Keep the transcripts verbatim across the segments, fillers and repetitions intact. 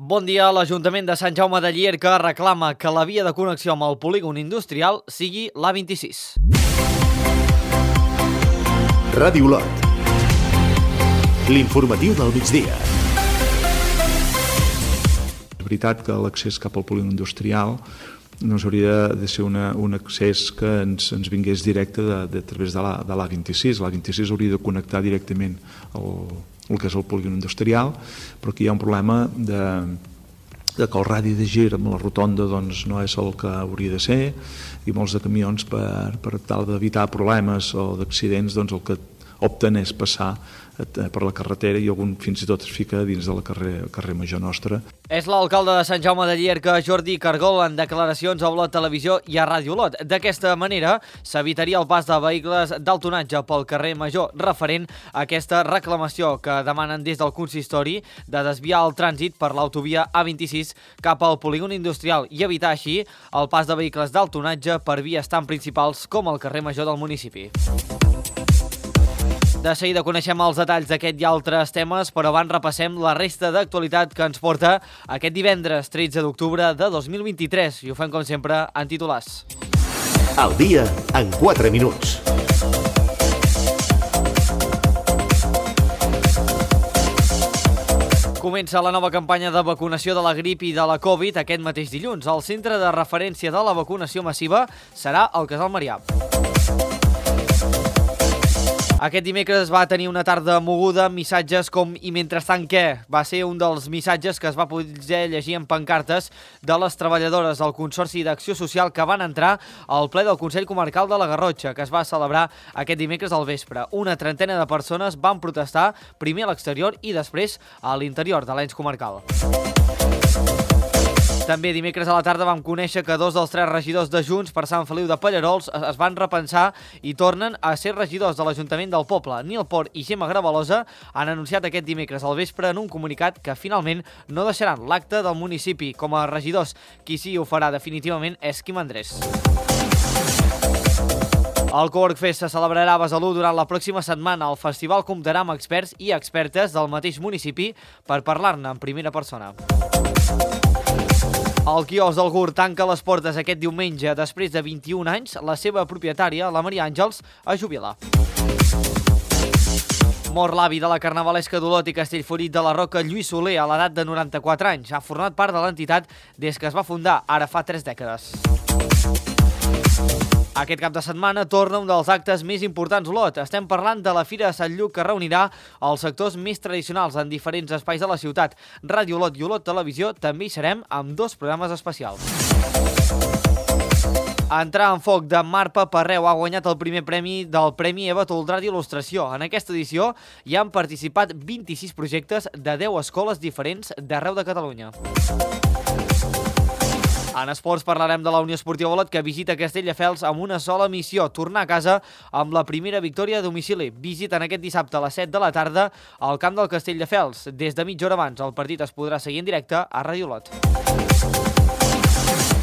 Bon dia. L'Ajuntament de Sant Jaume de Llierca reclama que la via de connexió amb el polígon industrial sigui l'A vint-i-sis. Ràdio Lot. L'informatiu del migdia. És veritat que l'accés cap al polígon industrial no hauria de ser una, un accés que ens, ens vingués directe de, de, a través de l'A de l'A vint-i-sis. L'A vint-i-sis hauria de connectar directament el, el que és el polígon industrial, però aquí hi ha un problema de, de que el radi de gir amb la rotonda doncs, no és el que hauria de ser, i molts de camions per, per tal d'evitar problemes o d'accidents doncs el que opten és passar per la carretera i algun fins i tot es fica dins de la carrer, carrer major nostra. És l'alcalde de Sant Jaume de Llierca, Jordi Cargol, en declaracions a Olot Televisió i a Ràdio Olot. D'aquesta manera s'evitaria el pas de vehicles d'alt tonatge pel carrer Major, referent a aquesta reclamació que demanen des del consistori de desviar el trànsit per l'autovia A vint-i-sis cap al polígon industrial i evitar així el pas de vehicles d'alt tonatge per vies tan principals com el carrer Major del municipi. De seguida coneixem els detalls d'aquest i altres temes, però abans repassem la resta d'actualitat que ens porta aquest divendres tretze d'octubre de dos mil vint-i-tres i ho fem com sempre en titulars. Al dia en quatre minuts. Comença la nova campanya de vacunació de la grip i de la Covid aquest mateix dilluns. El centre de referència de la vacunació massiva serà el Casal Marià. Aquest dimecres va tenir una tarda moguda amb missatges com "i mentrestant què?". Va ser un dels missatges que es va poder llegir en pancartes de les treballadores del Consorci d'Acció Social que van entrar al ple del Consell Comarcal de la Garrotxa, que es va celebrar aquest dimecres al vespre. Una trentena de persones van protestar primer a l'exterior i després a l'interior de l'ens comarcal. També dimecres a la tarda vam conèixer que dos dels tres regidors de Junts per Sant Feliu de Pallerols es van repensar i tornen a ser regidors de l'Ajuntament del poble. Nil Port i Gemma Gravalosa han anunciat aquest dimecres al vespre en un comunicat que finalment no deixaran l'acte del municipi com a regidors. Qui sí ho farà definitivament és Quim Andrés. El Cowork Fest se celebrarà a Besalú durant la pròxima setmana. El festival comptarà amb experts i expertes del mateix municipi per parlar-ne en primera persona. El quiosc del Gur tanca les portes aquest diumenge. Després de vint-i-un anys, la seva propietària, la Maria Àngels, es jubila. Mor l'avi de la carnavalesca d'Olot i Castellfollit de la Roca, Lluís Soler, a l'edat de noranta-quatre anys. Ha format part de l'entitat des que es va fundar, ara fa tres dècades. Aquest cap de setmana torna un dels actes més importants d'Olot. Estem parlant de la Fira de Sant Lluc, que reunirà els sectors més tradicionals en diferents espais de la ciutat. Ràdio Olot i Olot Televisió també hi serem amb dos programes especials. Entrar en foc de Marpa Parreu ha guanyat el primer premi del Premi Eva Toldrà d'il·lustració. En aquesta edició hi han participat vint-i-sis projectes de deu escoles diferents d'arreu de Catalunya. En esports parlarem de la Unió Esportiva Olot, que visita Castelldefels amb una sola missió, tornar a casa amb la primera victòria a domicili. Visiten aquest dissabte a les set de la tarda al camp del Castelldefels. Des de mitja hora abans el partit es podrà seguir en directe a Ràdio Olot.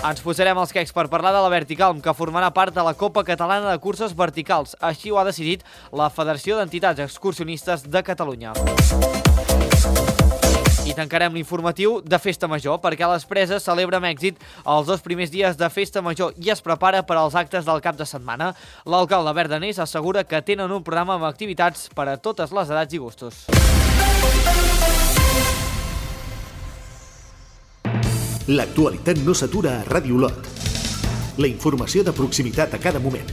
Ens posarem els quecs per parlar de la Verticalm, que formarà part de la Copa Catalana de Curses Verticals. Així ho ha decidit la Federació d'Entitats Excursionistes de Catalunya. I tancarem l'informatiu de Festa Major, perquè les Preses celebra amb èxit els dos primers dies de Festa Major i es prepara per als actes del cap de setmana. L'alcalde Verdanés assegura que tenen un programa amb activitats per a totes les edats i gustos. L'actualitat no s'atura a Ràdio Olot. La informació de proximitat a cada moment.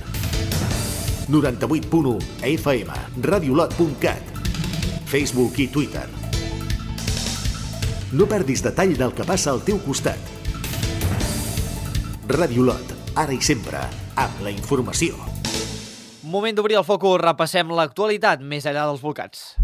noranta-vuit punt u F M, radiolot punt cat, Facebook i Twitter. No perdis detall del que passa al teu costat. Ràdio Olot, ara i sempre, amb la informació. Moment d'obrir el focus, repassem l'actualitat més enllà dels volcats.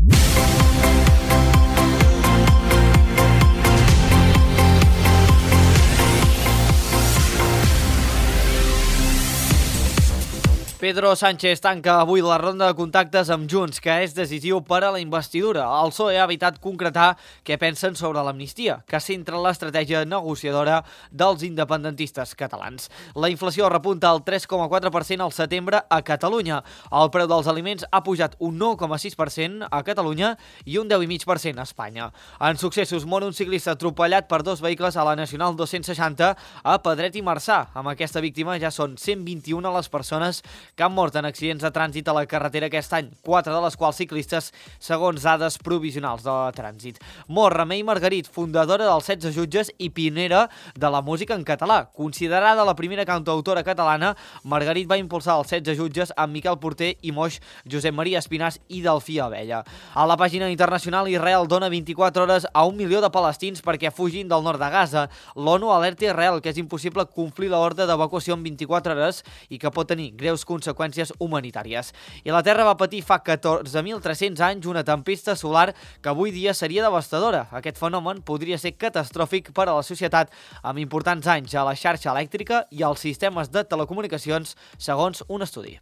P Pedro Sánchez tanca avui la ronda de contactes amb Junts, que és decisiu per a la investidura. El P S O E ha evitat concretar què pensen sobre l'amnistia, que centra l'estratègia negociadora dels independentistes catalans. La inflació repunta al tres coma quatre per cent al setembre a Catalunya. El preu dels aliments ha pujat un nou coma sis per cent a Catalunya i un deu coma cinc per cent a Espanya. En successos, mor un ciclista atropellat per dos vehicles a la Nacional dos-cents seixanta a Pedret i Marçà. Amb aquesta víctima ja són cent vint-i-una les persones que han mort en accidents de trànsit a la carretera aquest any, quatre de les quals ciclistes, segons dades provisionals de trànsit. Mor Remei Margarit, fundadora dels setze jutges i pionera de la música en català. Considerada la primera cantautora catalana, Margarit va impulsar els setze jutges amb Miquel Porter i Moix, Josep Maria Espinàs i Delfí Abella. A la pàgina internacional, Israel dona vint-i-quatre hores a un milió de palestins perquè fugin del nord de Gaza. L'ONU alerta Israel que és impossible complir l'ordre d'evacuació en vint-i-quatre hores i que pot tenir greus conseqüències humanitàries. I la Terra va patir fa catorze mil tres-cents anys una tempesta solar que avui dia seria devastadora. Aquest fenomen podria ser catastròfic per a la societat, amb importants danys a la xarxa elèctrica i als sistemes de telecomunicacions, segons un estudi.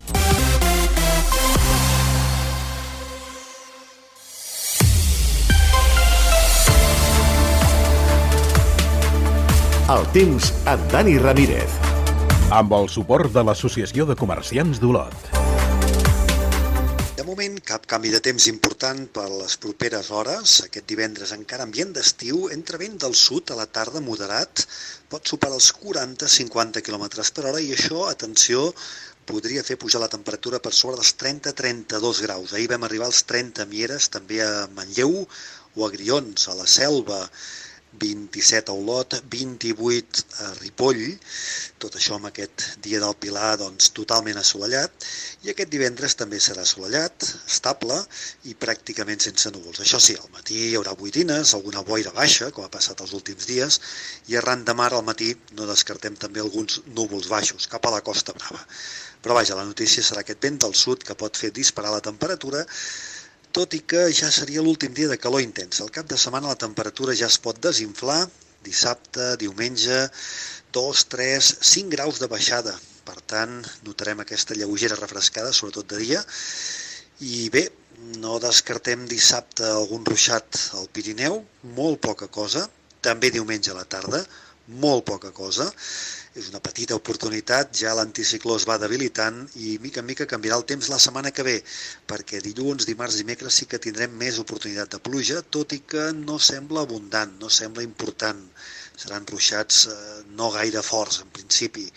El temps amb Dani Ramírez. Amb el suport de l'Associació de Comerciants d'Olot. De moment, cap canvi de temps important per les properes hores. Aquest divendres encara ambient d'estiu, entre vent del sud a la tarda moderat, pot superar els quaranta a cinquanta quilòmetres per hora i això, atenció, podria fer pujar la temperatura per sobre dels trenta a trenta-dos graus. Ahir vam arribar als trenta a Mieres, també a Manlleu o a Grions, a la Selva, vint-i-set a Olot, vint-i-vuit a Ripoll, tot això amb aquest dia del Pilar doncs, totalment assolellat, i aquest divendres també serà assolellat, estable i pràcticament sense núvols. Això sí, al matí hi haurà boirines, alguna boira baixa, com ha passat els últims dies, i arran de mar al matí no descartem també alguns núvols baixos cap a la Costa Brava. Però vaja, la notícia serà aquest vent del sud que pot fer disparar la temperatura, tot i que ja seria l'últim dia de calor intens. Al cap de setmana la temperatura ja es pot desinflar, dissabte, diumenge, dos, tres, cinc graus de baixada. Per tant, notarem aquesta lleugera refrescada, sobretot de dia. I bé, no descartem dissabte algun ruixat al Pirineu, molt poca cosa, també diumenge a la tarda, molt poca cosa. És una petita oportunitat, ja l'anticicló es va debilitant i mica en mica canviarà el temps la setmana que ve, perquè dilluns, dimarts i dimecres sí que tindrem més oportunitat de pluja, tot i que no sembla abundant, no sembla important. Seran ruixats eh, no gaire forts en principi,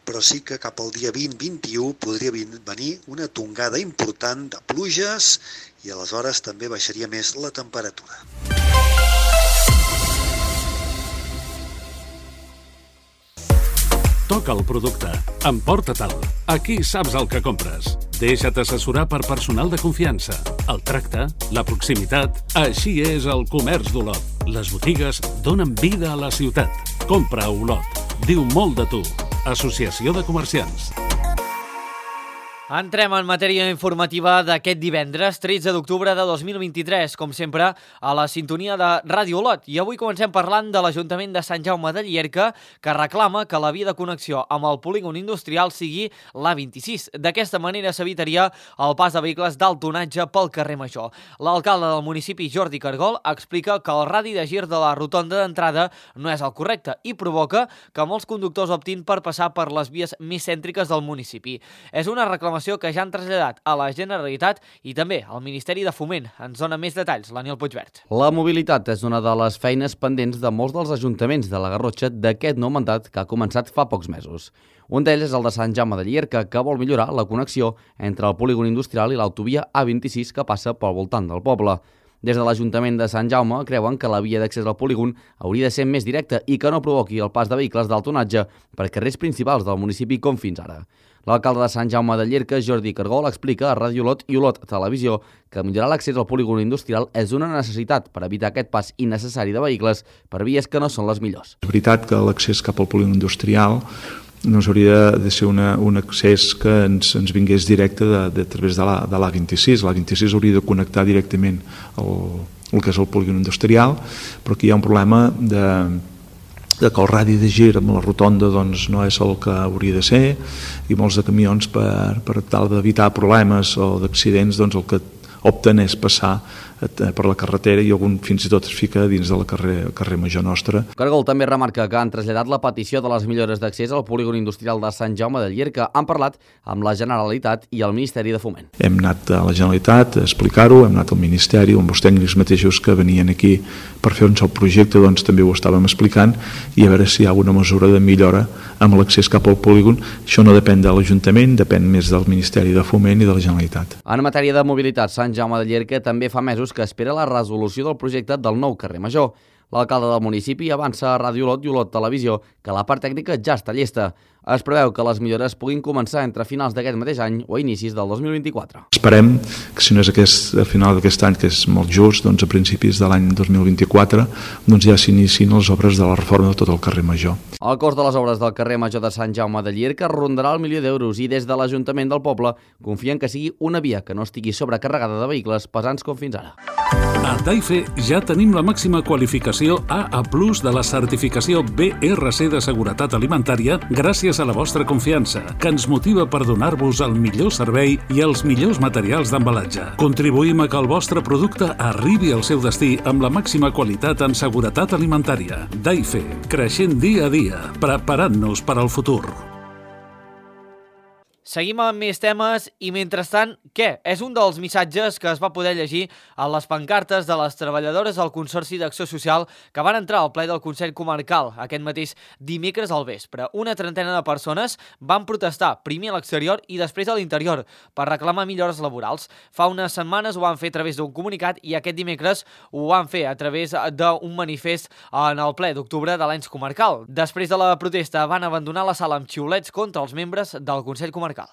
però sí que cap al dia vint a vint-i-u podria venir una tongada important de pluges i aleshores també baixaria més la temperatura. Toca el producte. Emporta-te'l. Aquí saps el que compres. Deixa't assessorar per personal de confiança. El tracte, la proximitat... Així és el comerç d'Olot. Les botigues donen vida a la ciutat. Compra a Olot. Diu molt de tu. Associació de Comerciants. Entrem en matèria informativa d'aquest divendres, tretze d'octubre de dos mil vint-i-tres, com sempre, a la sintonia de Ràdio Olot. I avui comencem parlant de l'Ajuntament de Sant Jaume de Llierca, que reclama que la via de connexió amb el polígon industrial sigui l'A vint-i-sis. D'aquesta manera s'evitaria el pas de vehicles d'alt tonatge pel carrer Major. L'alcalde del municipi, Jordi Cargol, explica que el radi de gir de la rotonda d'entrada no és el correcte i provoca que molts conductors optin per passar per les vies més cèntriques del municipi. És una reclamació que ja han traslladat a la Generalitat i també al Ministeri de Foment. Ens dona més detalls l'Aniol Puigvert. La mobilitat és una de les feines pendents de molts dels ajuntaments de la Garrotxa d'aquest nou mandat que ha començat fa pocs mesos. Un d'ells és el de Sant Jaume de Llierca, que vol millorar la connexió entre el polígon industrial i l'autovia A vint-i-sis que passa pel voltant del poble. Des de l'Ajuntament de Sant Jaume creuen que la via d'accés al polígon hauria de ser més directa i que no provoqui el pas de vehicles d'alt tonatge per carrers principals del municipi com fins ara. L'alcalde de Sant Jaume de Llierca, Jordi Cargol, explica a Ràdio Olot i Olot Televisió que millorar l'accés al polígon industrial és una necessitat per evitar aquest pas innecessari de vehicles per vies que no són les millors. És veritat que l'accés cap al polígon industrial no hauria de ser una, un accés que ens, ens vingués directe de, de, a través de la, de l'A vint-i-sis. L'A vint-i-sis hauria de connectar directament el, el que és el polígon industrial, però aquí hi ha un problema de, de que el radi de gir amb la rotonda doncs, no és el que hauria de ser, i molts de camions per, per tal d'evitar problemes o d'accidents doncs el que opten és passar per la carretera i algun fins i tot es fica dins del carrer, carrer Major nostre. Cargol també remarca que han traslladat la petició de les millores d'accés al polígon industrial de Sant Jaume de Llierca. Han parlat amb la Generalitat i el Ministeri de Foment. Hem anat a la Generalitat a explicar-ho, hem anat al Ministeri, amb els tècnics mateixos que venien aquí per fer un sol projecte, doncs també ho estàvem explicant, i a veure si hi ha alguna mesura de millora amb l'accés cap al polígon. Això no depèn de l'Ajuntament, depèn més del Ministeri de Foment i de la Generalitat. En matèria de mobilitat, Sant Jaume de Llierca també fa mesos que espera la resolució del projecte del nou carrer Major. L'alcalde del municipi avança a Ràdio Olot i Olot Televisió que la part tècnica ja està llesta. Es preveu que les millores puguin començar entre finals d'aquest mateix any o inicis del dos mil vint-i-quatre. Esperem que si no és aquest, a final d'aquest any, que és molt just, doncs a principis de l'any dos mil vint-i-quatre doncs ja s'inicien les obres de la reforma de tot el carrer Major. El cost de les obres del carrer Major de Sant Jaume de Llierca rondarà el milió d'euros i des de l'Ajuntament del poble confien que sigui una via que no estigui sobrecarregada de vehicles pesants com fins ara. A Daife ja tenim la màxima qualificació A A plus de la certificació B R C de seguretat alimentària gràcies a la vostra confiança, que ens motiva per donar-vos el millor servei i els millors materials d'embalatge. Contribuïm a que el vostre producte arribi al seu destí amb la màxima qualitat en seguretat alimentària. Daife, creixent dia a dia, preparant-nos per al futur. Seguim amb més temes i, mentrestant, què? És un dels missatges que es va poder llegir a les pancartes de les treballadores del Consorci d'Acció Social que van entrar al ple del Consell Comarcal aquest mateix dimecres al vespre. Una trentena de persones van protestar, primer a l'exterior i després a l'interior, per reclamar millores laborals. Fa unes setmanes ho van fer a través d'un comunicat i aquest dimecres ho van fer a través d'un manifest en el ple d'octubre de l'ens comarcal. Després de la protesta van abandonar la sala amb xiulets contra els membres del Consell Comarcal.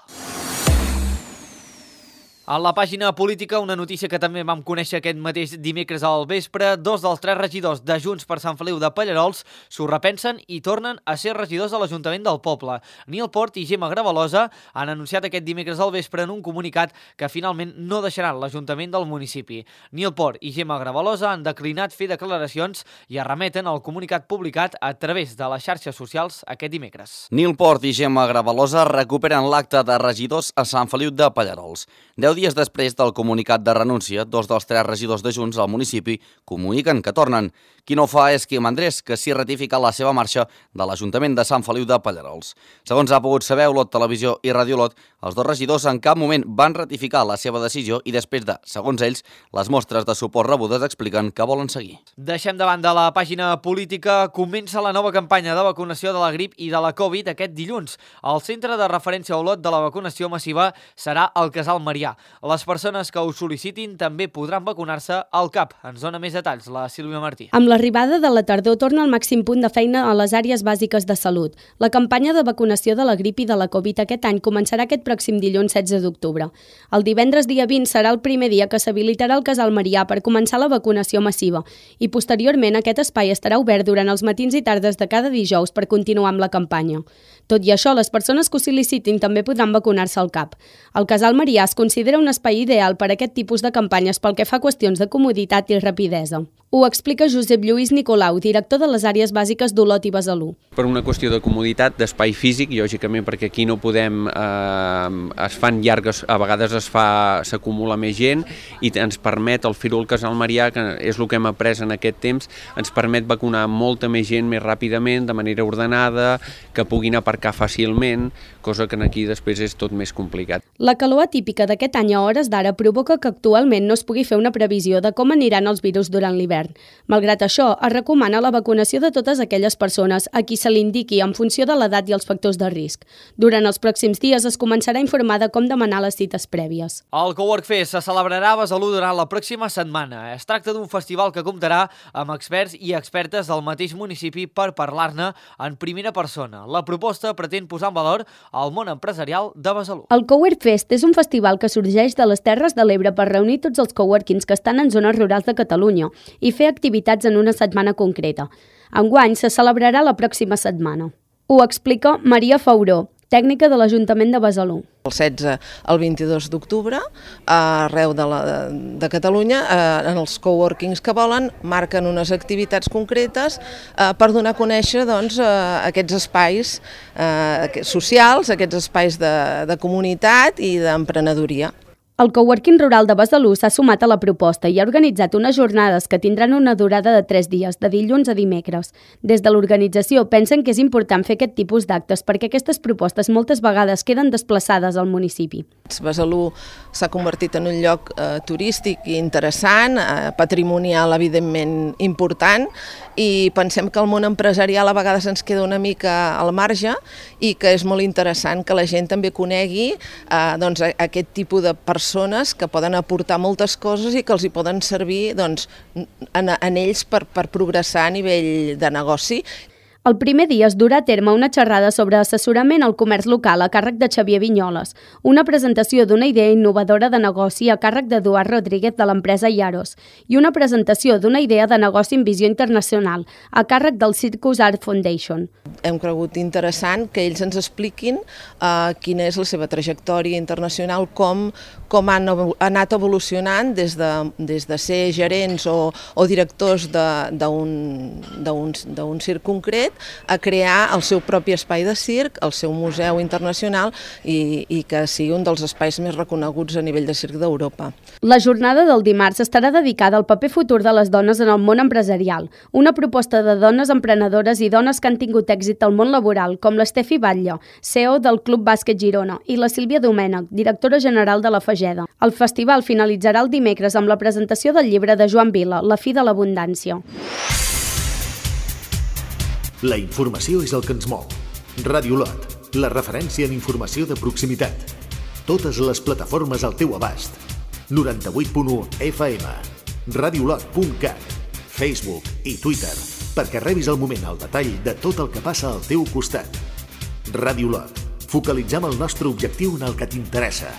A la pàgina política, una notícia que també vam conèixer aquest mateix dimecres al vespre, dos dels tres regidors de Junts per Sant Feliu de Pallerols s'ho repensen i tornen a ser regidors de l'Ajuntament del poble. Nil Port i Gemma Gravalosa han anunciat aquest dimecres al vespre en un comunicat que finalment no deixaran l'Ajuntament del municipi. Nil Port i Gemma Gravalosa han declinat fer declaracions i es remeten al comunicat publicat a través de les xarxes socials aquest dimecres. Nil Port i Gemma Gravalosa recuperen l'acte de regidors a Sant Feliu de Pallerols. Deu dies després del comunicat de renúncia, dos dels tres regidors de Junts al municipi comuniquen que tornen. Qui no ho fa és Quim Andrés, que s'hi ratifica la seva marxa de l'Ajuntament de Sant Feliu de Pallerols. Segons ha pogut saber Olot Televisió i Ràdio Olot, els dos regidors en cap moment van ratificar la seva decisió i després de, segons ells, les mostres de suport rebudes expliquen que volen seguir. Deixem de banda la pàgina política. Comença la nova campanya de vacunació de la grip i de la Covid aquest dilluns. El centre de referència a Olot de la vacunació massiva serà el Casal Marià. Les persones que ho sol·licitin també podran vacunar-se al CAP. Ens dona més detalls la Sílvia Martí. Amb l'arribada de la tardor torna al màxim punt de feina a les àrees bàsiques de salut. La campanya de vacunació de la grip i de la Covid aquest any començarà aquest pròxim dilluns setze d'octubre. El divendres dia vint serà el primer dia que s'habilitarà el Casal Marià per començar la vacunació massiva i posteriorment aquest espai estarà obert durant els matins i tardes de cada dijous per continuar amb la campanya. Tot i això, les persones que ho sol·licitin també podran vacunar-se al CAP. El Casal Marià es considera un espai ideal per a aquest tipus de campanyes pel que fa a qüestions de comoditat i rapidesa. Ho explica Josep Lluís Nicolau, director de les àrees bàsiques d'Olot i Besalú. Per una qüestió de comoditat, d'espai físic, lògicament perquè aquí no podem, eh, es fan llargues, a vegades es fa, s'acumula més gent i ens permet, el fer-ho al Casal Marià, que és el que hem après en aquest temps, ens permet vacunar molta més gent més ràpidament, de manera ordenada, que puguin aparcar fàcilment, cosa que aquí després és tot més complicat. La calor atípica d'aquest any a hores d'ara provoca que actualment no es pugui fer una previsió de com aniran els virus durant l'hivern. Malgrat això, es recomana la vacunació de totes aquelles persones a qui se li indiqui en funció de l'edat i els factors de risc. Durant els pròxims dies es començarà a informar de com demanar les cites prèvies. El Cowork Fest se celebrarà a Besalú durant la pròxima setmana. Es tracta d'un festival que comptarà amb experts i expertes del mateix municipi per parlar-ne en primera persona. La proposta pretén posar en valor el món empresarial de Besalú. El Cowork Fest és un festival que sorgeix de les Terres de l'Ebre per reunir tots els coworkings que estan en zones rurals de Catalunya i fer activitats en una setmana concreta. Enguany se celebrarà la pròxima setmana. Ho explica Maria Fauró, tècnica de l'Ajuntament de Besalú. El setze al vint-i-dos d'octubre, arreu de, la, de Catalunya, eh, en els coworkings que volen, marquen unes activitats concretes eh, per donar a conèixer doncs, eh, aquests espais eh, socials, aquests espais de, de comunitat i d'emprenedoria. El coworking rural de Besalú s'ha sumat a la proposta i ha organitzat unes jornades que tindran una durada de tres dies, de dilluns a dimecres. Des de l'organització pensen que és important fer aquest tipus d'actes perquè aquestes propostes moltes vegades queden desplaçades al municipi. Besalú s'ha convertit en un lloc eh, turístic i interessant, eh, patrimonial evidentment important, i pensem que el món empresarial a vegades ens queda una mica al marge i que és molt interessant que la gent també conegui eh, doncs, aquest tipus de persones que poden aportar moltes coses i que els hi poden servir doncs, en, en ells per, per progressar a nivell de negoci. El primer dia es durà a terme una xerrada sobre assessorament al comerç local a càrrec de Xavier Vinyoles, una presentació d'una idea innovadora de negoci a càrrec d'Eduard Rodríguez de l'empresa Yaros i una presentació d'una idea de negoci en visió internacional a càrrec del Circus Art Foundation. Hem cregut interessant que ells ens expliquin uh, quina és la seva trajectòria internacional, com, com han anat evolucionant des de, des de ser gerents o, o directors d'un circ concret a crear el seu propi espai de circ, el seu museu internacional i, i que sigui un dels espais més reconeguts a nivell de circ d'Europa. La jornada del dimarts estarà dedicada al paper futur de les dones en el món empresarial, una proposta de dones emprenedores i dones que han tingut èxit al món laboral, com l'Estefi Batlle, C E O del Club Bàsquet Girona, i la Sílvia Domènech, directora general de la Fageda. El festival finalitzarà el dimecres amb la presentació del llibre de Joan Vila, La fi de l'abundància. La informació és el que ens mou. Ràdio Lot, la referència en informació de proximitat. Totes les plataformes al teu abast. noranta-vuit punt u F M, radiolot punt cat, Facebook i Twitter, perquè rebis al moment el detall de tot el que passa al teu costat. Ràdio Lot, focalitzem el nostre objectiu en el que t'interessa.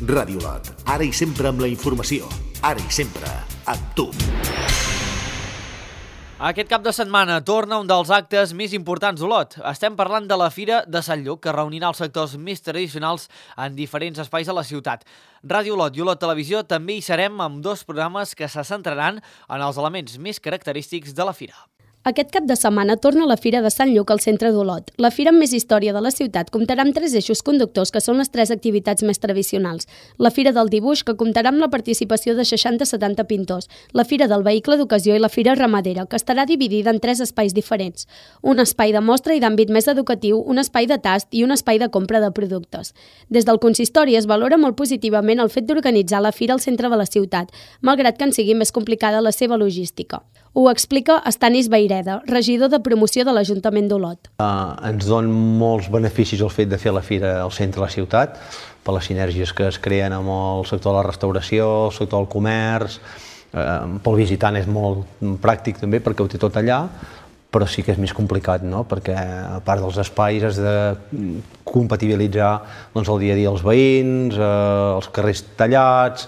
Ràdio Lot, ara i sempre amb la informació, ara i sempre amb tu. Aquest cap de setmana torna un dels actes més importants d'Olot. Estem parlant de la Fira de Sant Lluc, que reunirà els sectors més tradicionals en diferents espais de la ciutat. Ràdio Olot i Olot Televisió també hi serem amb dos programes que se centraran en els elements més característics de la Fira. Aquest cap de setmana torna la Fira de Sant Lluc al centre d'Olot. La fira amb més història de la ciutat comptarà amb tres eixos conductors que són les tres activitats més tradicionals. La Fira del Dibuix, que comptarà amb la participació de seixanta a setanta pintors, la Fira del Vehicle d'Ocasió i la Fira Ramadera, que estarà dividida en tres espais diferents. Un espai de mostra i d'àmbit més educatiu, un espai de tast i un espai de compra de productes. Des del consistori es valora molt positivament el fet d'organitzar la fira al centre de la ciutat, malgrat que en sigui més complicada la seva logística. Ho explica Estanis Baireda, regidor de promoció de l'Ajuntament d'Olot. Uh, ens don molts beneficis el fet de fer la fira al centre de la ciutat, per les sinergies que es creen amb el sector de la restauració, el sector del comerç. Uh, pel visitant és molt pràctic també perquè ho té tot allà, però sí que és més complicat, no? Perquè a part dels espais has de compatibilitzar doncs, el dia a dia dels veïns, eh, els carrers tallats,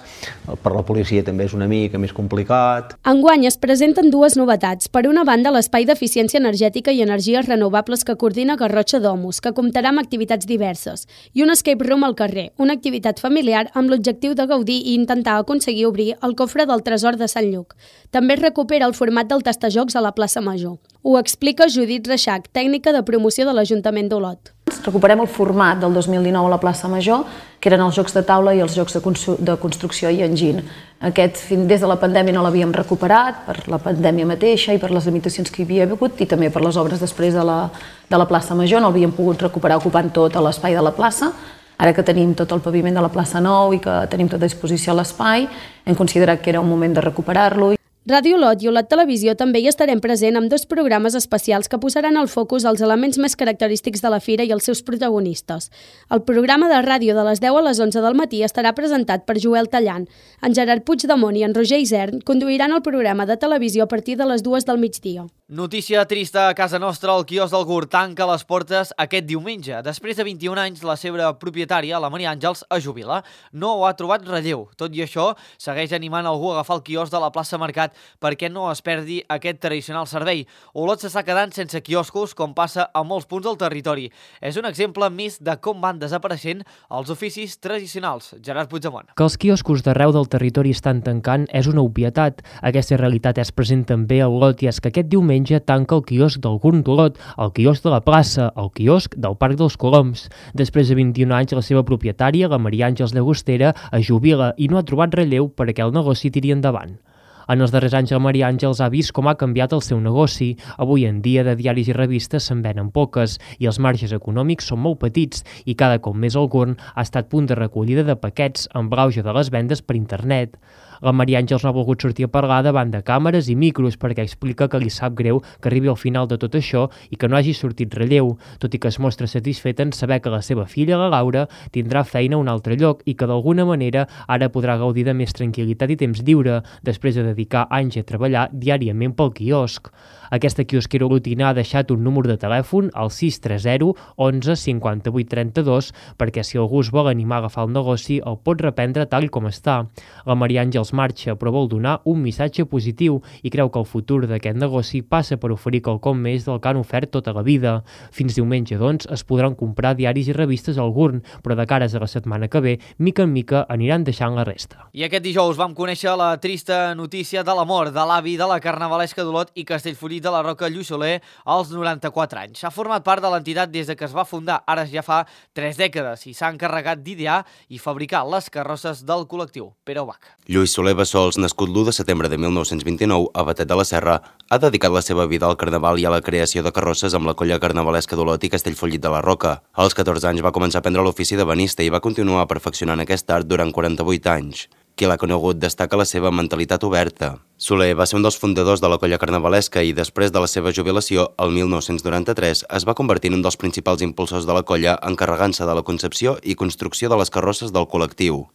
per la policia també és una mica més complicat. Enguany es presenten dues novetats. Per una banda, l'espai d'eficiència energètica i energies renovables que coordina Garrotxa Domus, que comptarà amb activitats diverses, i un escape room al carrer, una activitat familiar amb l'objectiu de gaudir i intentar aconseguir obrir el cofre del tresor de Sant Lluc. També es recupera el format del tastajocs a la plaça Major. Ho explica Judit Reixac, tècnica de promoció de l'Ajuntament d'Olot. Recuperem el format del dos mil dinou a la plaça Major, que eren els jocs de taula i els jocs de, de construcció i enginy. Aquest, des de la pandèmia no l'havíem recuperat, per la pandèmia mateixa i per les limitacions que hi havia hagut, i també per les obres després de la, de la plaça Major. No l'havíem pogut recuperar ocupant tot l'espai de la plaça. Ara que tenim tot el paviment de la plaça Nou i que tenim tot a disposició a l'espai, hem considerat que era un moment de recuperar-lo. Ràdio Olot i Olot Televisió també hi estarem present amb dos programes especials que posaran al focus els elements més característics de la fira i els seus protagonistes. El programa de ràdio de les deu a les onze del matí estarà presentat per Joel Tallant. En Gerard Puigdemont i en Roger Isern conduiran el programa de televisió a partir de les dues del migdia. Notícia trista a casa nostra, el quiosc del Gurt tanca les portes aquest diumenge. Després de vint-i-un anys, la seva propietària, la Maria Àngels, es jubila. No ho ha trobat relleu. Tot i això, segueix animant algú a agafar el quiosc de la plaça Mercat perquè no es perdi aquest tradicional servei. Olot s'està quedant sense quioscos, com passa a molts punts del territori. És un exemple més de com van desapareixent els oficis tradicionals. Gerard Puigdemont. Que els quioscos d'arreu del territori estan tancant és una obvietat. Aquesta realitat és present també a Olot i és que aquest diumenge tanca el quiosc del Gurn d'Olot, el quiosc de la plaça, el quiosc del Parc dels Coloms. Després de vint-i-un anys, la seva propietària, la Maria Àngels Llagostera, es jubila i no ha trobat relleu perquè el negoci tiri endavant. En els darrers anys, la Maria Àngels ha vist com ha canviat el seu negoci. Avui en dia, de diaris i revistes se'n venen poques i els marges econòmics són molt petits i cada cop més el Gurn ha estat punt de recollida de paquets amb l'auge de les vendes per internet. La Maria Àngels no ha volgut sortir a parlar davant de càmeres i micros perquè explica que li sap greu que arribi al final de tot això i que no hagi sortit relleu, tot i que es mostra satisfeta en saber que la seva filla, la Laura, tindrà feina a un altre lloc i que d'alguna manera ara podrà gaudir de més tranquil·litat i temps lliure després de dedicar anys a treballar diàriament pel quiosc. Aquesta quiosquera olotina ha deixat un número de telèfon al sis tres zero onze cinquanta-vuit trenta-dos perquè si algú es vol animar a agafar el negoci el pot reprendre tal com està. La Maria Àngels marxa però vol donar un missatge positiu i creu que el futur d'aquest negoci passa per oferir quelcom més del que han ofert tota la vida. Fins diumenge, doncs, es podran comprar diaris i revistes al Gurn, però de cares a la setmana que ve, mica en mica aniran deixant la resta. I aquest dijous vam conèixer la trista notícia de la mort de l'avi de la carnavalesca d'Olot i Castellfollit de la Roca, Lluís Soler, als noranta-quatre anys. Ha format part de l'entitat des de que es va fundar, ara ja fa tres dècades, i s'ha encarregat d'idear i fabricar les carrosses del col·lectiu. Pere Ubach. Lluís Soler Bassols, nascut l'u de setembre de mil nou-cents vint-i-nou a Batet de la Serra, ha dedicat la seva vida al carnaval i a la creació de carrosses amb la colla carnavalesca d'Olot i Castellfollit de la Roca. Als catorze anys va començar a aprendre l'ofici de benista i va continuar perfeccionant aquest art durant quaranta-vuit anys. Qui l'ha conegut destaca la seva mentalitat oberta. Soler va ser un dels fundadors de la colla carnavalesca i després de la seva jubilació, el mil nou-cents noranta-tres, es va convertir en un dels principals impulsors de la colla, encarregant-se de la concepció i construcció de les carrosses del col·lectiu.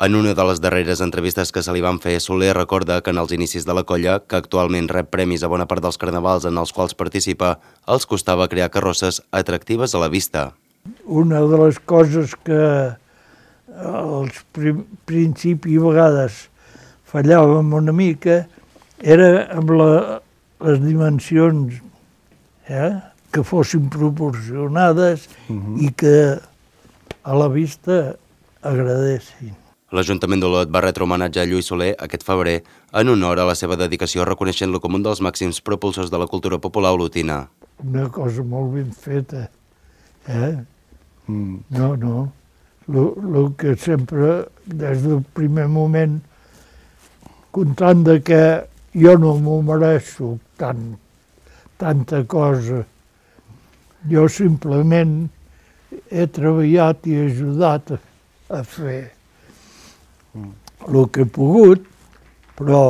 En una de les darreres entrevistes que se li van fer, Soler recorda que en els inicis de la colla, que actualment rep premis a bona part dels carnavals en els quals participa, els costava crear carrosses atractives a la vista. Una de les coses que als principis a vegades fallàvem una mica era amb la, les dimensions, eh? que fossin proporcionades uh-huh. i que a la vista agradessin. L'Ajuntament d'Olot va retre homenatge a Lluís Soler aquest febrer en honor a la seva dedicació, reconeixent-lo com un dels màxims propulsors de la cultura popular olotina. Una cosa molt ben feta, eh? Mm. No, no. El que sempre, des del primer moment, comptant de que jo no m'ho mereixo tant, tanta cosa, jo simplement he treballat i ajudat a, a fer mm. el que he pogut, però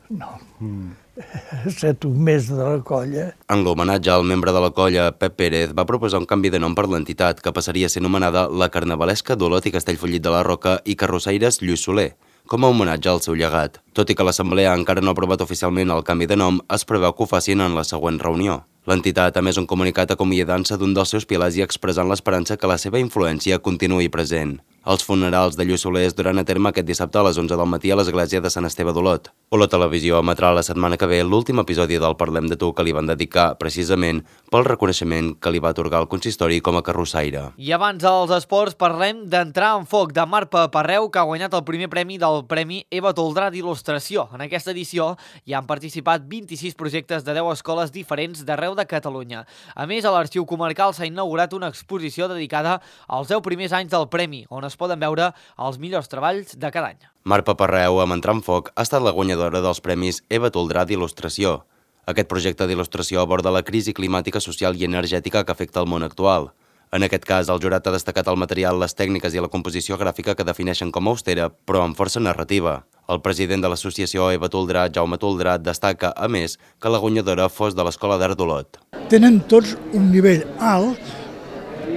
no. Mm. He estat un mes de la colla. En l'homenatge al membre de la colla, Pep Pérez, va proposar un canvi de nom per l'entitat, que passaria a ser anomenada la Carnavalesca d'Olot i Castellfollit de la Roca i Carrossaires Lluís Soler, com a homenatge al seu llegat. Tot i que l'Assemblea encara no ha aprovat oficialment el canvi de nom, es preveu que ho facin en la següent reunió. L'entitat ha emès un comunicat acomiadant-se d'un dels seus pilars i expressant l'esperança que la seva influència continuï present. Els funerals de Lluís Soler es duran a terme aquest dissabte a les onze del matí a l'església de Sant Esteve d'Olot. Olot Televisió emetrà la setmana que ve l'últim episodi del Parlem de tu que li van dedicar, precisament, pel reconeixement que li va atorgar el consistori com a carrossaire. I abans dels esports parlem d'entrar en foc de Marc Paparreu, que ha guanyat el primer premi del Premi Eva Toldrà d'il·lustració. En aquesta edició hi han participat vint-i-sis projectes de deu escoles diferents d'arreu de Catalunya. A més, a l'Arxiu Comarcal s'ha inaugurat una exposició dedicada als deu primers anys del Premi, on es poden veure els millors treballs de cada any. Marc Paparreu, amb Entrar en foc, ha estat la guanyadora dels Premis Eva Toldrà d'il·lustració. Aquest projecte d'il·lustració aborda la crisi climàtica, social i energètica que afecta el món actual. En aquest cas, el jurat ha destacat el material, les tècniques i la composició gràfica que defineixen com a austera, però amb força narrativa. El president de l'associació Eva Toldrà, Jaume Toldrà, destaca, a més, que la guanyadora fos de l'Escola d'Art d'Olot. Tenen tots un nivell alt,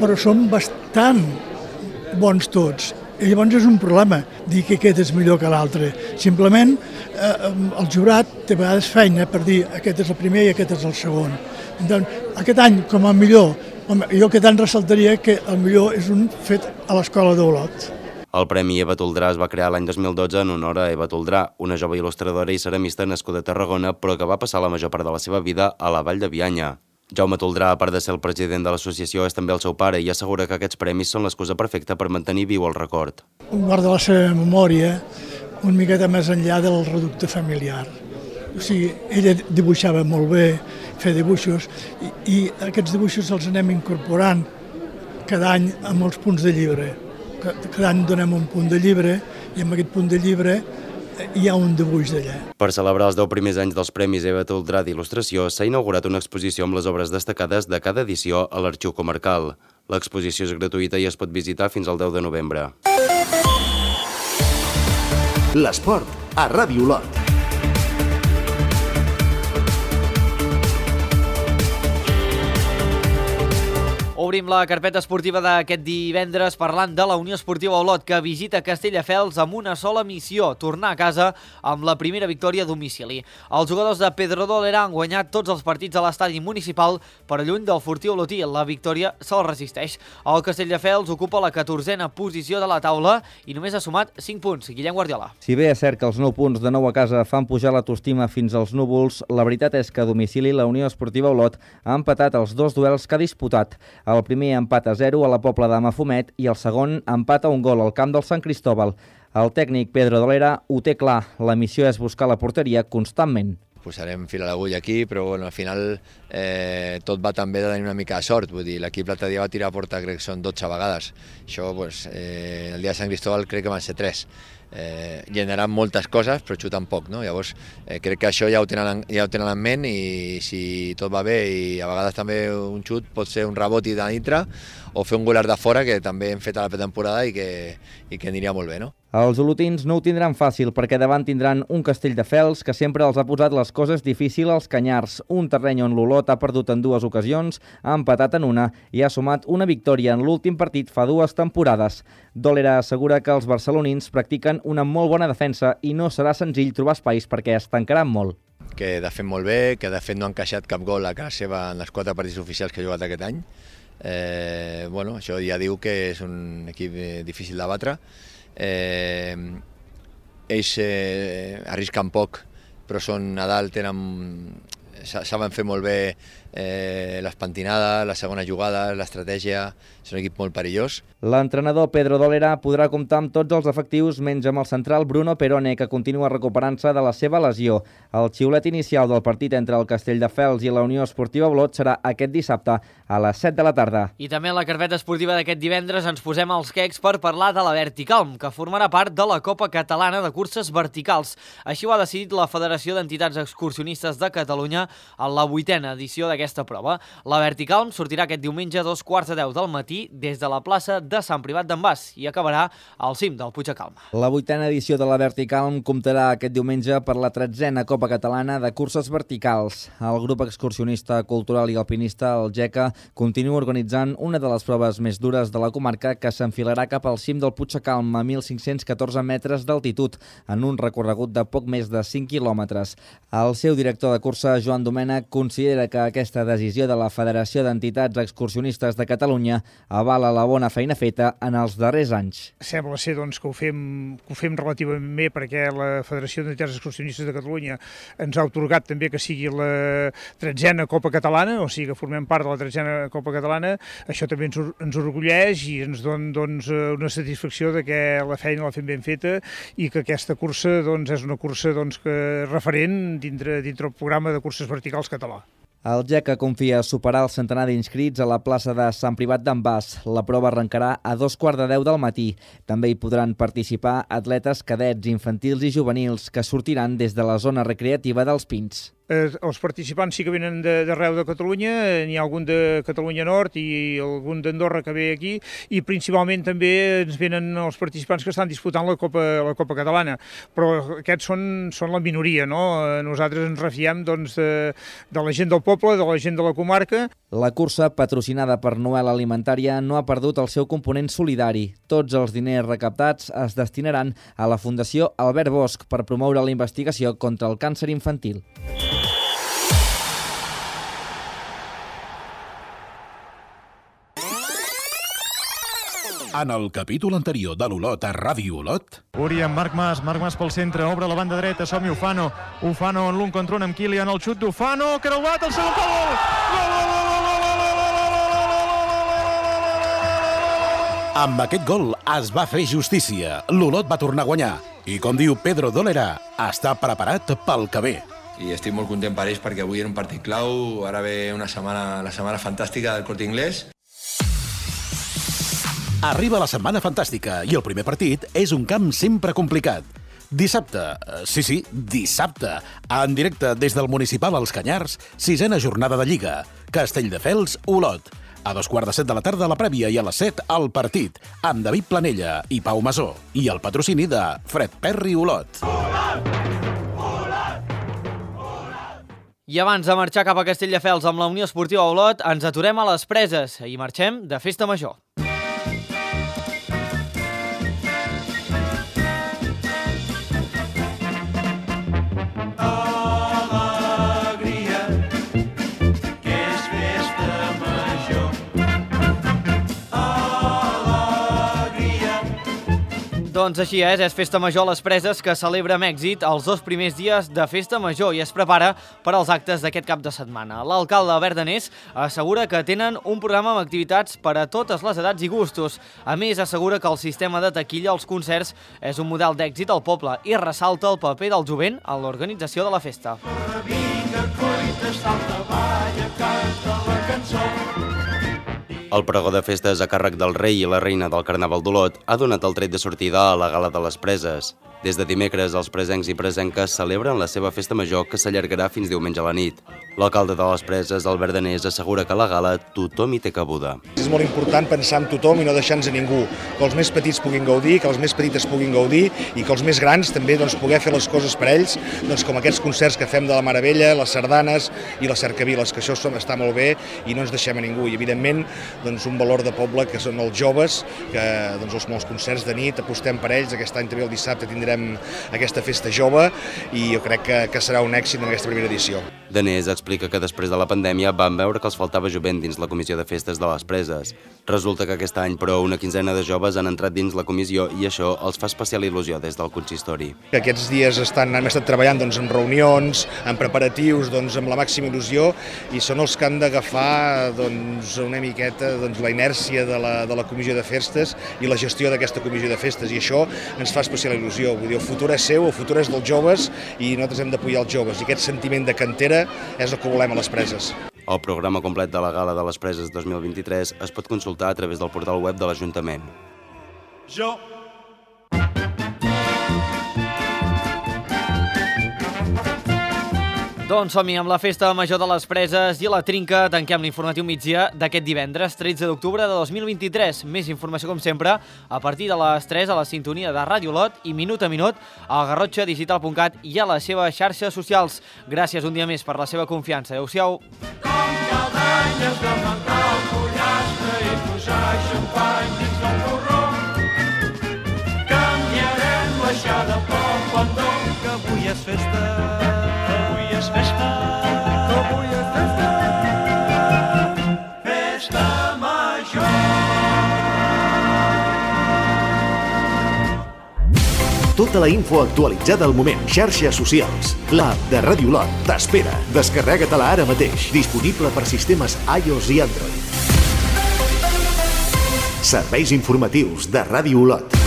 però són bastant bons tots. I llavors és un problema dir que aquest és millor que l'altre. Simplement eh, el jurat té a vegades feina per dir aquest és el primer i aquest és el segon. Doncs, aquest any, com a millor, home, jo aquest any ressaltaria que el millor és un fet a l'Escola d'Olot. El Premi Eva Toldrà es va crear l'any dos mil dotze en honor a Eva Toldrà, una jove il·lustradora i ceramista nascuda a Tarragona, però que va passar la major part de la seva vida a la Vall de Bianya. Jaume Toldrà, a part de ser el president de l'associació, és també el seu pare i assegura que aquests premis són l'excusa perfecta per mantenir viu el record. Guarda la seva memòria una miqueta més enllà del reducte familiar. O sigui, ella dibuixava molt bé, feia dibuixos, i, i aquests dibuixos els anem incorporant cada any a molts punts de llibre. Cada any donem un punt de llibre i en aquest punt de llibre hi ha un dibuix d'allà. Per celebrar els deu primers anys dels Premis Eva Toldrà d'il·lustració s'ha inaugurat una exposició amb les obres destacades de cada edició a l'Arxiu Comarcal. L'exposició és gratuïta i es pot visitar fins al deu de novembre. L'esport a Ràdio Olot. Obrim la carpeta esportiva d'aquest divendres parlant de la Unió Esportiva Olot, que visita Castelldefels amb una sola missió, tornar a casa amb la primera victòria a domicili. Els jugadors de Pedrodolera han guanyat tots els partits a l'estadi municipal, però lluny del Fortí Olotí. La victòria se'l resisteix. El Castelldefels ocupa la catorzena posició de la taula i només ha sumat cinc punts. Guillem Guardiola. Si bé és cert que els nou punts de nou a casa fan pujar l'autoestima fins als núvols, la veritat és que a domicili la Unió Esportiva Olot ha empatat els dos duels que ha disputat. El primer empat a zero a la Pobla de Mafumet i el segon empat a un gol al camp del Sant Cristóbal. El tècnic Pedro Dolera ho té clar, la missió és buscar la porteria constantment. Posarem fil a l'agulla aquí, però bueno, al final eh, tot va també de tenir una mica de sort. Vull dir, l'equip l'altre dia va tirar a porta, crec que són dotze vegades. Això, pues, eh, el dia de Sant Cristóbal crec que van ser tres. Eh, generen moltes coses però xuten poc, no? Llavors eh, crec que això ja ho, tenen, ja ho tenen en ment i si tot va bé i a vegades també un xut pot ser un rebot i de dintre o fer un golar de fora que també hem fet a la pretemporada i que, i que aniria molt bé, no? Els olotins no ho tindran fàcil perquè davant tindran un Castelldefels que sempre els ha posat les coses difícils als canyars, un terreny on l'Olot ha perdut en dues ocasions, ha empatat en una i ha sumat una victòria en l'últim partit fa dues temporades. Dolera assegura que els barcelonins practiquen una molt bona defensa i no serà senzill trobar espais perquè es tancaran molt. Que de fet molt bé, que de fet no ha encaixat cap gol a casa seva en els quatre partits oficials que ha jugat aquest any. Eh, bueno, això ja diu que és un equip difícil de batre. Eh, ells eh, arrisquen poc, però són a dalt, tenen, saben fer molt bé eh, les pentinades, la segona jugada, l'estratègia, és un equip molt perillós. L'entrenador Pedro Dolera podrà comptar amb tots els efectius menys amb el central Bruno Perone, que continua recuperant-se de la seva lesió. El xiulet inicial del partit entre el Castelldefels i la Unió Esportiva Olot serà aquest dissabte a les set de la tarda. I també en la carpeta esportiva d'aquest divendres ens posem als quecs per parlar de la Verticalm, que formarà part de la Copa Catalana de Curses Verticals. Així ho ha decidit la Federació d'Entitats Excursionistes de Catalunya en la vuitena edició d'aquesta prova. La Verticalm sortirà aquest diumenge a dos quarts de deu del matí des de la plaça de Sant Privat d'en Bas i acabarà al cim del Puig de Calma. La vuitena edició de la Verticalm comptarà aquest diumenge per la tretzena Copa Catalana de Curses Verticals. El grup excursionista cultural i alpinista, el GECA, continua organitzant una de les proves més dures de la comarca que s'enfilarà cap al cim del Puig de Calma a mil cinc-cents catorze metres d'altitud en un recorregut de poc més de cinc quilòmetres. El seu director de cursa, Joan Domènech, considera que aquesta decisió de la Federació d'Entitats Excursionistes de Catalunya avala la bona feina feta en els darrers anys. Sembla ser doncs, que, ho fem, que ho fem relativament bé perquè la Federació d'Entitats Excursionistes de Catalunya ens ha atorgat també que sigui la tretzena Copa Catalana, o sigui que formem part de la tretzena Copa Catalana. Això també ens, ens orgulleix i ens dona doncs, una satisfacció de que la feina la fem ben feta i que aquesta cursa doncs, és una cursa doncs, que referent dintre, dintre el programa de curses verticals català. El GECA confia superar el centenar d'inscrits a la plaça de Sant Privat d'en Bas. La prova arrencarà a dos quarts de deu del matí. També hi podran participar atletes cadets, infantils i juvenils que sortiran des de la zona recreativa dels Pins. Eh, els participants sí que venen d'arreu de, de Catalunya, n'hi ha algun de Catalunya Nord i algun d'Andorra que ve aquí i principalment també ens venen els participants que estan disputant la Copa, la Copa Catalana, però aquests són, són la minoria, no? Nosaltres ens refiem doncs, de, de la gent del poble, de la gent de la comarca. La cursa, patrocinada per Noel Alimentària, no ha perdut el seu component solidari. Tots els diners recaptats es destinaran a la Fundació Albert Bosch per promoure la investigació contra el càncer infantil. En el capítol anterior de l'Olot a Ràdio Olot... Uri amb Marc Mas, Marc Mas pel centre, obre la banda dreta, som-hi Ufano. Ufano en l'un contra un amb Kilian, el xut d'Ufano, creuat, el segon gol! Gol, gol, gol, gol, gol, gol, Amb aquest gol es va fer justícia. L'Olot va tornar a guanyar. I com diu Pedro Dolera, està preparat pel que ve. I estic molt content per ells perquè avui era un partit clau, ara ve una setmana, la setmana fantàstica del Corte Inglés. Arriba la setmana fantàstica i el primer partit és un camp sempre complicat. Dissabte, sí, sí, dissabte, en directe des del Municipal als Canyars, sisena jornada de Lliga, Castelldefels, Olot. A dos quarts de set de la tarda la prèvia i a les set el partit, amb David Planella i Pau Masó, i el patrocini de Fred Perry Olot. I abans de marxar cap a Castelldefels amb la Unió Esportiva Olot, ens aturem a les Preses i marxem de festa major. Doncs així és, és Festa Major a les Preses que celebra amb èxit els dos primers dies de Festa Major i es prepara per als actes d'aquest cap de setmana. L'alcalde Albert Danés assegura que tenen un programa amb activitats per a totes les edats i gustos. A més, assegura que el sistema de taquilla als concerts és un model d'èxit al poble i ressalta el paper del jovent en l'organització de la festa. El pregó de festes a càrrec del rei i la reina del Carnaval d'Olot ha donat el tret de sortida a la Gala de les Preses. Des de dimecres, els presencs i presenques celebren la seva festa major que s'allargarà fins diumenge a la nit. L'alcalde de les Preses, Albert Danés, assegura que a la gala tothom hi té cabuda. És molt important pensar en tothom i no deixar-nos a ningú. Que els més petits puguin gaudir, que les més petites puguin gaudir i que els més grans també doncs, poder fer les coses per ells, doncs, com aquests concerts que fem de la Meravella, les sardanes i les cercaviles, que això està molt bé i no ens deixem a ningú. I evidentment doncs, un valor de poble que són els joves, que doncs, els, els concerts de nit apostem per ells. Aquest any també el dissabte tindrem aquesta festa jove i jo crec que, que serà un èxit en aquesta primera edició. Danés explica que després de la pandèmia van veure que els faltava jovent dins la comissió de festes de les Preses. Resulta que aquest any, però, una quinzena de joves han entrat dins la comissió i això els fa especial il·lusió des del consistori. Aquests dies estan, hem estat treballant doncs, en reunions, en preparatius, doncs, amb la màxima il·lusió i són els que han d'agafar doncs, una miqueta doncs, la inèrcia de la, de la comissió de festes i la gestió d'aquesta comissió de festes i això ens fa especial il·lusió. Vull dir, el futur és seu, el futur és dels joves i nosaltres hem d'apoyar els joves i aquest sentiment de cantera és el que volem a les Preses. El programa complet de la Gala de les Preses dos mil vint-i-tres es pot consultar a través del portal web de l'Ajuntament. Jo... Doncs som-hi amb la Festa Major de les Preses i la Trinca. Tanquem l'informatiu migdia d'aquest divendres, tretze d'octubre de dos mil vint-i-tres. Més informació, com sempre, a partir de les tres a la sintonia de Ràdio Olot i minut a minut a garrotxa digital punt cat i a les seves xarxes socials. Gràcies un dia més per la seva confiança. Adéu-siau. Com caldanyes de mentar el pollastre i posar xampany dins del porró. Canviarem l'aixada pel pendó, que avui és festa. És festa, que avui és festa, festa major. Tota la info actualitzada al moment. Xarxes socials. L'app de Ràdio Olot t'espera. Descarrega-te-la ara mateix. Disponible per sistemes iOS i Android. Serveis informatius de Ràdio Olot.